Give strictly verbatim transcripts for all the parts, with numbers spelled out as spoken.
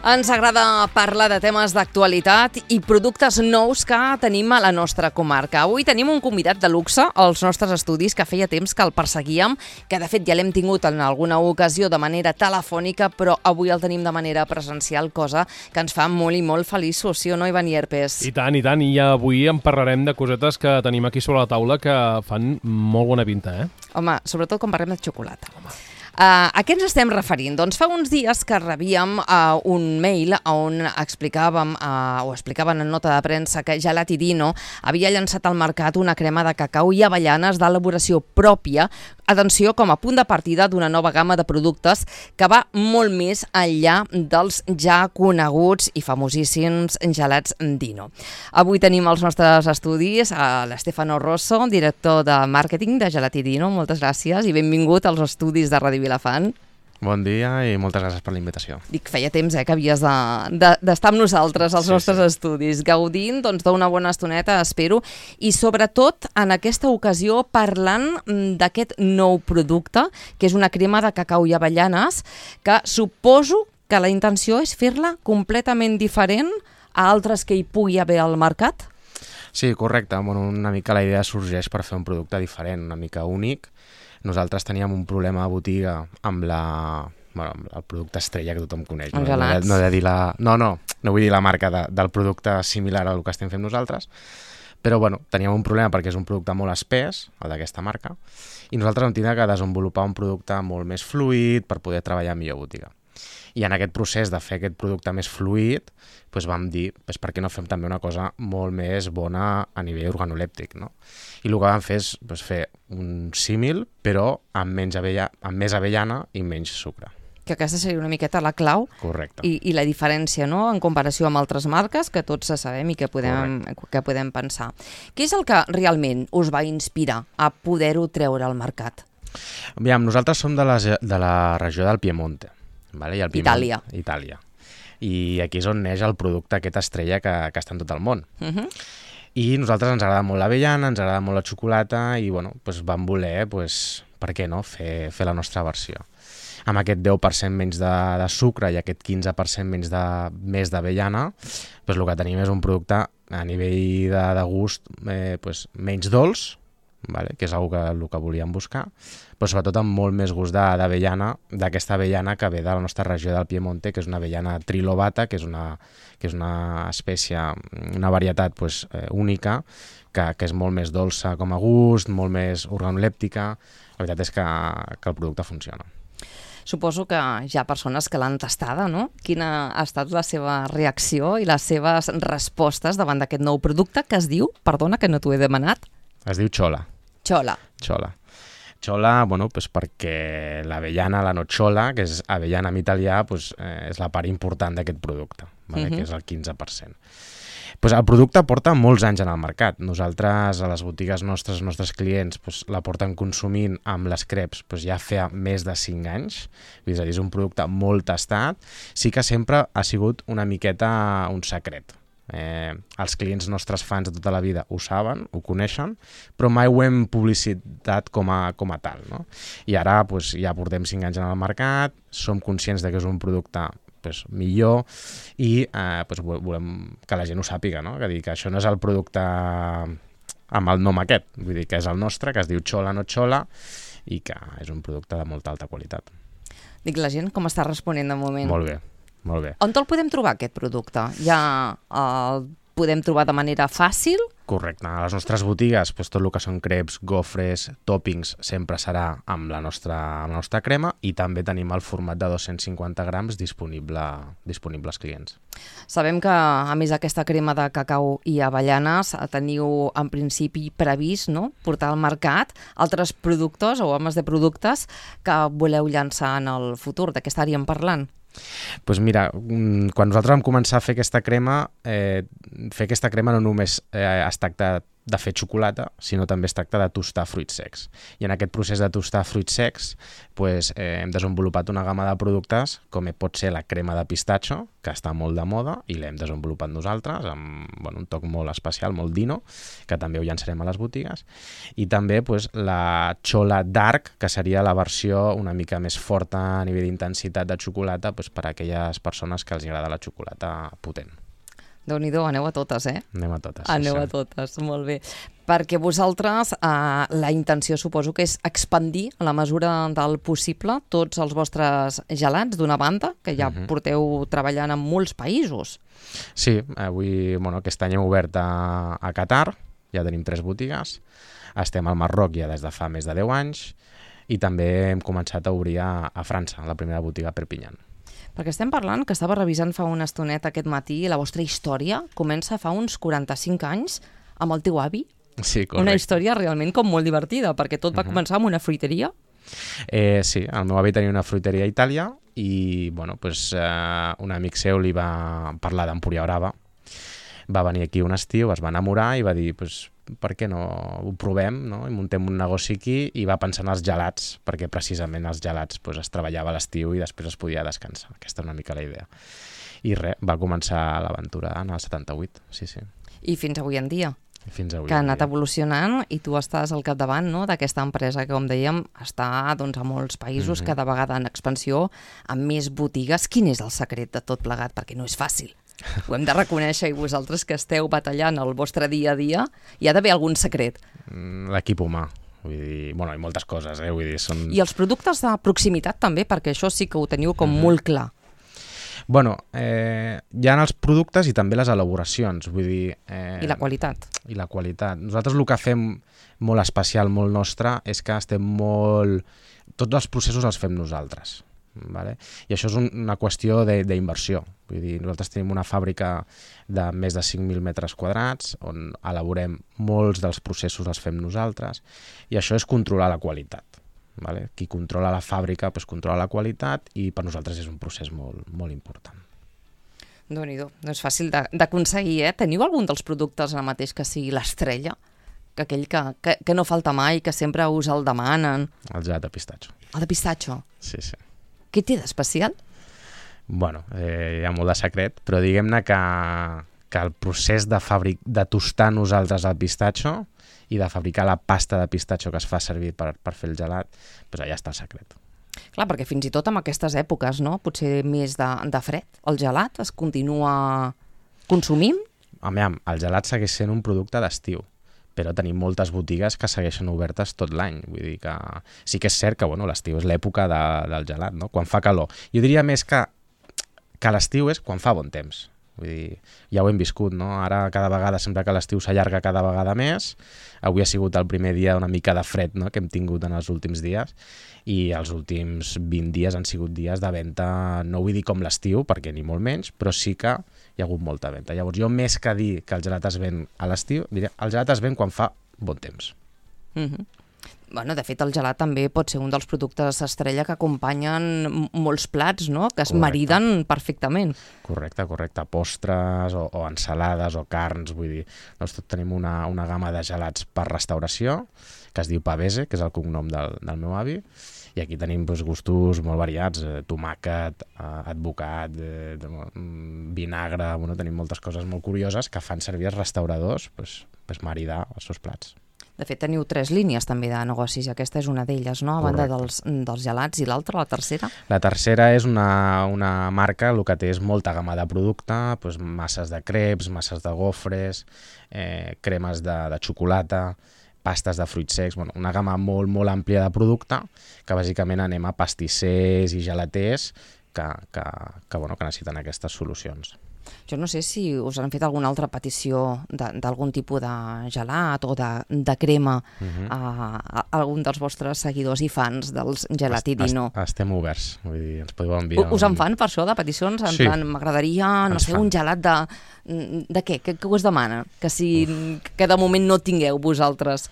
Ens agrada parlar de temes d'actualitat i productes nous que tenim a la nostra comarca. Avui tenim un convidat de luxe als nostres estudis que feia temps que el perseguíem, que de fet ja l'hem tingut en alguna ocasió de manera telefònica, però avui el tenim de manera presencial, cosa que ens fa molt i molt feliços, sí o no, Ivan Ierpes? I tant, i tant, i avui en parlarem de cosetes que tenim aquí sobre la taula que fan molt bona pinta, eh? Home, sobretot quan parlem de xocolata. Home. Uh, a què ens estem referint? Doncs fa uns dies que rebíem uh, un mail on explicàvem, uh, o explicaven en nota de premsa que Gelati Dino havia llançat al mercat una crema de cacau i avellanes d'elaboració pròpia, atenció, com a punt de partida d'una nova gamma de productes que va molt més enllà dels ja coneguts i famosíssims gelats Dino. Avui tenim als nostres estudis a l'Stefano Rosso, director de màrqueting de Gelati Dino. Moltes gràcies i benvingut als estudis de Ràdio Vilafant. Bon dia i moltes gràcies per la invitació. Dic, feia temps eh, que havies d'estar de, de, amb nosaltres als sí, nostres sí. estudis, gaudint doncs, d'una bona estoneta, espero, i sobretot en aquesta ocasió parlant d'aquest nou producte, que és una crema de cacau i avellanes, que suposo que la intenció és fer-la completament diferent a altres que hi pugui haver al mercat? Sí, correcte. Bueno, una mica la idea sorgeix per fer un producte diferent, una mica únic. Nosaltres teníem un problema a botiga amb, la, bueno, amb el producte estrella que tothom coneix. Els no? gelats. No, no, de dir la, no, no, no vull dir la marca de, del producte similar al que estem fent nosaltres, però bueno, teníem un problema perquè és un producte molt espès, el d'aquesta marca, i nosaltres vam tindre que desenvolupar un producte molt més fluid per poder treballar millor a botiga. I en aquest procés de fer aquest producte més fluid, doncs vam dir, doncs per què no fem també una cosa molt més bona a nivell organolèptic, no? I el que vam fer és doncs, fer un símil, però amb, menys avella, amb més avellana i menys sucre. Que aquesta seria una miqueta la clau. Correcte. I, i la diferència, no?, en comparació amb altres marques que tots sabem i que podem, que podem pensar. Què és el que realment us va inspirar a poder-ho treure al mercat? Aviam, nosaltres som de la, de la regió del Piemonte. Vale? I el Piemont, Itàlia. Itàlia. I aquí és on neix el producte aquest estrella que, que està en tot el món. Uh-huh. I nosaltres ens agrada molt l'avellana, ens agrada molt la xocolata i doncs, doncs vam voler, doncs, per què no, fer, fer la nostra versió. Amb aquest deu per cent menys de, de sucre i aquest quinze per cent menys de, més d'avellana, doncs el que tenim és un producte a nivell de, de gust eh, doncs, menys dolç, vale? Que és una que, el que volíem buscar, però sobretot amb molt més gust d'avellana, d'aquesta avellana que ve de la nostra regió del Piemonte, que és una avellana trilobata, que és una, que és una espècie, una varietat pues, eh, única, que, que és molt més dolça com a gust, molt més organolèptica. La veritat és que, que el producte funciona. Suposo que hi ha persones que l'han tastada, no? Quina ha estat la seva reacció i les seves respostes davant d'aquest nou producte que es diu, perdona que no t'ho he demanat? Es diu Chola. Chola. Chola. Chola, bueno, pues perquè l'avellana, la nocciola, que és avellana en italià, pues, eh, és la part important d'aquest producte, vale? Uh-huh. Que és el quinze per cent. Pues el producte porta molts anys en el mercat. Nosaltres, a les botigues nostres, els nostres clients, pues, la porten consumint amb les creps pues, ja fa més de cinc anys. És a dir, és un producte molt tastat. Sí que sempre ha sigut una miqueta un secret. Eh, els clients nostres fans de tota la vida ho saben, ho coneixen, però mai ho hem publicitat com a, com a tal, no? I ara pues, ja portem cinc anys en el mercat, som conscients de que és un producte pues, millor i eh, pues, volem que la gent ho sàpiga, no? Que, dir, que això no és el producte amb el nom aquest, vull dir que és el nostre, que es diu Chola no Chola i que és un producte de molta alta qualitat. Dic, la gent com està responent de moment? Molt bé. Molt bé. On el podem trobar, aquest producte? Ja el podem trobar de manera fàcil? Correcte. A les nostres botigues, doncs, tot el que són crepes, gofres, tòpings, sempre serà amb la nostra, amb la nostra crema i també tenim el format de dos-cents cinquanta grams disponible, disponible als clients. Sabem que, a més d'aquesta crema de cacau i avellanes, teniu en principi previst, no?, portar al mercat altres productes o homes de productes que voleu llançar en el futur. De què estaríem parlant? Pues mira, quan nosaltres vam començar a fer aquesta crema, eh, fer aquesta crema no només eh, es tracta de fer xocolata, sinó també es tracta de tostar fruits secs. I en aquest procés de tostar fruits secs pues, eh, hem desenvolupat una gamma de productes com pot ser la crema de pistatxo, que està molt de moda i l'hem desenvolupat nosaltres amb bueno, un toc molt especial, molt dino, que també ho llançarem a les botigues. I també pues, la Chola Dark, que seria la versió una mica més forta a nivell d'intensitat de xocolata pues, per a aquelles persones que els agrada la xocolata potent. Déu-n'hi-do, aneu a totes, eh? Anem a totes. Aneu sí, a totes, molt bé. Perquè vosaltres, eh, la intenció suposo que és expandir a la mesura del possible tots els vostres gelats d'una banda, que ja uh-huh. porteu treballant en molts països. Sí, avui, bueno, aquest any hem obert a, a Qatar, ja tenim tres botigues, estem al Marroc ja des de fa més de deu anys i també hem començat a obrir a, a França, la primera botiga a Perpinyà. Perquè estem parlant, que estava revisant fa una estoneta aquest matí, la vostra història comença fa uns quaranta-cinc anys amb el teu avi. Sí, correcte. Una història realment com molt divertida, perquè tot va uh-huh. començar amb una fruiteria. Eh, sí, el meu avi tenia una fruiteria a Itàlia i bueno, pues, eh, un amic seu li va parlar d'Empúria Brava. Va venir aquí un estiu, es va enamorar i va dir, pues, per què no ho provem, no? I muntem un negoci aquí i va pensar en els gelats, perquè precisament els gelats pues, es treballava a l'estiu i després es podia descansar. Aquesta és una mica la idea. I res, va començar l'aventura en el setanta-vuit, sí, sí. I fins avui en dia. Fins avui que ha anat evolucionant i tu estàs al capdavant, no?, d'aquesta empresa que, com dèiem, està doncs, a molts països, mm-hmm. cada vegada en expansió, amb més botigues. Quin és el secret de tot plegat? Perquè no és fàcil. Ho hem de reconèixer, i vosaltres que esteu batallant el vostre dia a dia, hi ha d'haver algun secret. L'equip humà. Vull dir, bueno, hi ha moltes coses, eh? Vull dir, són... I els productes de proximitat també, perquè això sí que ho teniu com mm-hmm. molt clar. Bueno, eh, hi ha els productes i també les elaboracions, vull dir... Eh, I la qualitat. I la qualitat. Nosaltres el que fem molt especial, molt nostre, és que estem molt... Tots els processos els fem nosaltres. Vale? I això és un, una qüestió d'inversió. Vull dir, nosaltres tenim una fàbrica de més de cinc mil metres quadrats on elaborem molts dels processos els fem nosaltres i això és controlar la qualitat. Vale? Qui controla la fàbrica pues, controla la qualitat i per nosaltres és un procés molt, molt important. Déu-n'hi-do, no és fàcil d'aconseguir, eh? Teniu algun dels productes ara mateix que sigui l'estrella? Que aquell que, que, que no falta mai, que sempre us el demanen? El gelat de pistatxo. El de pistatxo? Sí, sí. Què té d'especial? Bueno, eh, hi ha molt de secret, però diguem-ne que, que el procés de, fabric, de tostar nosaltres el pistatxo i de fabricar la pasta de pistatxo que es fa servir per, per fer el gelat, doncs allà està el secret. Clar, perquè fins i tot en aquestes èpoques, no? Potser més de, de fred, el gelat es continua consumint? Home, el gelat segueix sent un producte d'estiu, però tenim moltes botigues que segueixen obertes tot l'any. Vull dir que sí que és cert que bueno, l'estiu és l'època de, del gelat, no? Quan fa calor. Jo diria més que, que l'estiu és quan fa bon temps. Vull dir, ja ho hem viscut, no? Ara cada vegada sembla que l'estiu s'allarga cada vegada més. Avui ha sigut el primer dia una mica de fred, no?, que hem tingut en els últims dies i els últims vint dies han sigut dies de venda, no vull dir com l'estiu, perquè ni molt menys, però sí que hi ha hagut molta venda. Llavors jo més que dir que el gelat es ven a l'estiu, diria el gelat es ven quan fa bon temps. Mm-hmm. Bueno, de fet, el gelat també pot ser un dels productes estrella que acompanyen molts plats, no?, que es correcte. Mariden perfectament. Correcte, correcte. Postres o, o ensalades o carns, vull dir, nosaltres tenim una, una gamma de gelats per restauració, que es diu Pavese, que és el cognom del, del meu avi, i aquí tenim doncs, gustos molt variats, eh, tomàquet, eh, advocat, eh, vinagre, bueno, tenim moltes coses molt curioses que fan servir els restauradors pues, pues maridar els seus plats. De fet, teniu tres línies també de negocis, i aquesta és una d'elles, no? A banda dels, dels gelats, i l'altra, la tercera? La tercera és una, una marca, el que té és molta gamma de producte, doncs masses de creps, masses de gofres, eh, cremes de, de xocolata, pastes de fruits secs, bueno, una gamma molt, molt àmplia de producte, que bàsicament anem a pastissers i gelaters que, que, que, bueno, que necessiten aquestes solucions. Jo no sé si us han fet alguna altra petició d'algun tipus de gelat o de, de crema uh-huh. a, a algun dels vostres seguidors i fans dels Gelatidino. Est, estem oberts, vull dir, ens podeu enviar... Us en fan per això, de peticions? En sí. plan, m'agradaria, no sé, fan. Un gelat de... De què? Què, què us demana? Que, si, que de moment no tingueu vosaltres...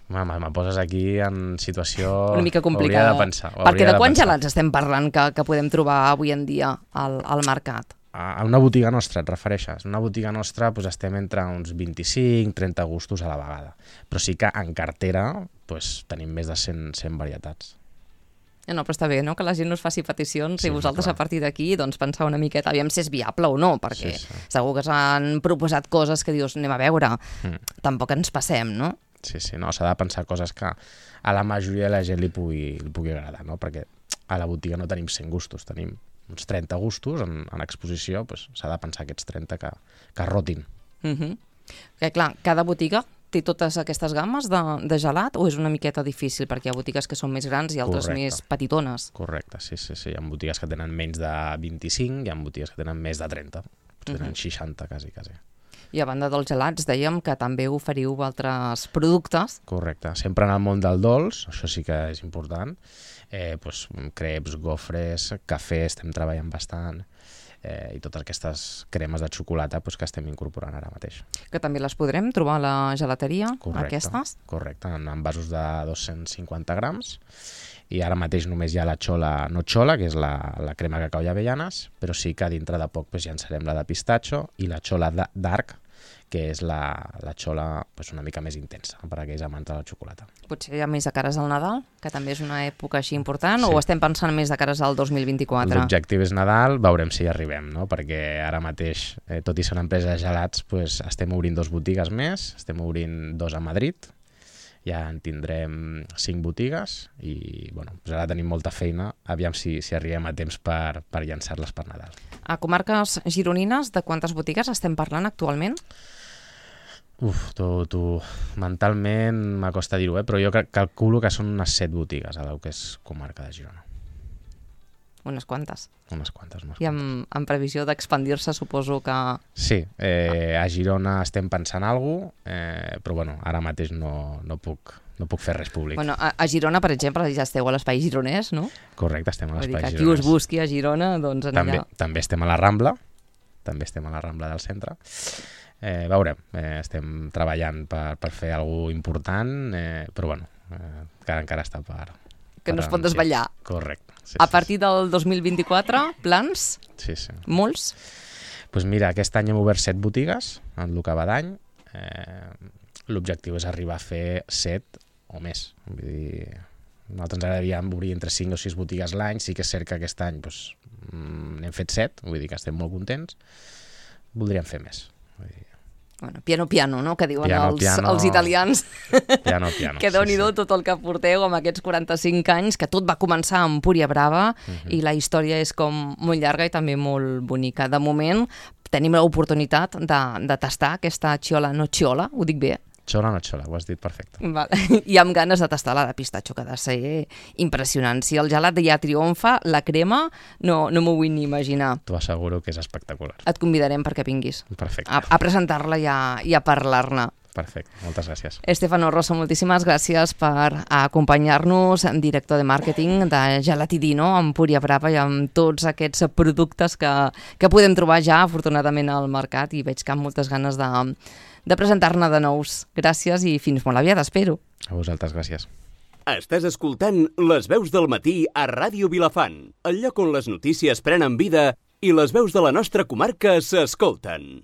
Mama, me poses aquí en situació... Una mica complicada. Hauria de pensar. Perquè de, de quants pensar. gelats estem parlant que, que podem trobar avui en dia al, al mercat? a una botiga nostra, et refereixes? Una botiga nostra doncs, estem entre uns vint-i-cinc trenta gustos a la vegada. Però sí que en cartera doncs, tenim més de cent, cent varietats. No, però està bé, no?, que la gent us faci peticions Sí, i vosaltres clar. a partir d'aquí doncs, pensar una miqueta, aviam si és viable o no, perquè Sí, sí. segur que s'han proposat coses que dius, anem a veure, Mm. tampoc ens passem, no? Sí, sí, no, s'ha de pensar coses que a la majoria de la gent li pugui, li pugui agradar, no? Perquè a la botiga no tenim cent gustos, tenim uns trenta gustos en, en exposició, doncs s'ha de pensar aquests trenta que, que rotin. Uh -huh. Que, clar, cada botiga té totes aquestes gammes de, de gelat o és una miqueta difícil perquè hi ha botigues que són més grans i altres Correcte. més petitones? Correcte, sí, sí, sí. Hi ha botigues que tenen menys de vint-i-cinc, hi ha botigues que tenen més de trenta, potser tenen Mhm. seixanta, quasi, quasi. I a banda dels gelats, dèiem que també oferiu altres productes. Correcte. Sempre en el món del dolç, això sí que és important, eh, doncs, creps, gofres, cafè, estem treballant bastant, eh, i totes aquestes cremes de xocolata doncs, que estem incorporant ara mateix. Que també les podrem trobar a la gelateria, Correcte, aquestes. correcte, en envasos de dos-cents cinquanta grams, i ara mateix només hi ha la xola no xola, que és la, la crema cacau i avellanes, però sí que dintre de poc doncs, llançarem la de pistatxo i la xola da- dark, que és la, la xola doncs, una mica més intensa per a aquells amants de la xocolata. Potser hi ha més de cares al Nadal, que també és una època així important, Sí. o estem pensant més de cares al dos mil vint-i-quatre? L'objectiu és Nadal, veurem si hi arribem, no? Perquè ara mateix, eh, tot i ser una empresa de gelats, doncs, estem obrint dos botigues més, estem obrint dos a Madrid, ja en tindrem cinc botigues i bueno, doncs ara tenim molta feina, aviam si, si arribem a temps per, per llançar-les per Nadal. A comarques gironines, de quantes botigues estem parlant actualment? Uf, tu, tu, mentalment m'acosta dir-ho, eh? Però jo cal- calculo que són unes set botigues a la que és comarca de Girona. Unes quantes. Unes quantes, unes I quantes. amb, amb previsió d'expandir-se, suposo que... Sí, eh, a Girona estem pensant alguna cosa, eh, però bueno, ara mateix no, no, puc, no puc fer res públic. Bueno, a, a Girona, per exemple, ja esteu a l'espai gironès, no? Correcte, estem a Vull dir que l'espai qui us gironès. busqui a Girona, doncs en També, allà... també estem a la Rambla, també estem a la Rambla del centre. Eh, veurem, eh, estem treballant per, per fer alguna cosa important, eh, però bueno, eh, encara, encara està per... Que no per es pot anunciar. desvetllar. Correcte. Sí, A sí, partir del dos mil vint-i-quatre, plans? Sí, sí. Molts? Pues mira, aquest any hem obert set botigues, en el que va d'any. Eh, L'objectiu és arribar a fer set o més. Vull dir, nosaltres ens agradaria obrir entre cinc o sis botigues l'any. Sí que és cert que aquest any doncs, n'hem fet set, vull dir que estem molt contents. Voldríem fer més. Vull dir, Bueno, piano piano, no?, que diuen Piano, els, piano. els italians. piano, piano. Que déu-n'hi-do sí, tot el que porteu amb aquests quaranta-cinc anys, que tot va començar amb Púria Brava, Mhm. i la història és com molt llarga i també molt bonica. De moment tenim l'oportunitat de, de tastar aquesta xiola no xiola, ho dic bé? Xola no xola, ho has dit perfecte. Vale. I amb ganes de tastar la de pistatxo, que ha de ser impressionant. Si el gelat ja triomfa, la crema no, no m'ho vull ni imaginar. T'ho asseguro que és espectacular. Et convidarem perquè vinguis Perfecte, a, a presentar-la i a, i a parlar-ne. perfecte. Moltes gràcies. Estefano Rosso, moltíssimes gràcies per acompanyar-nos, director de màrqueting de Gelatidino, amb Púria Brava i amb tots aquests productes que, que podem trobar ja, afortunadament, al mercat, i veig que amb moltes ganes de, de presentar-ne de nous. Gràcies i fins molt aviat, espero. A vosaltres, gràcies. Estàs escoltant Les veus del matí a Ràdio Vilafant, el lloc on les notícies prenen vida i les veus de la nostra comarca s'escolten.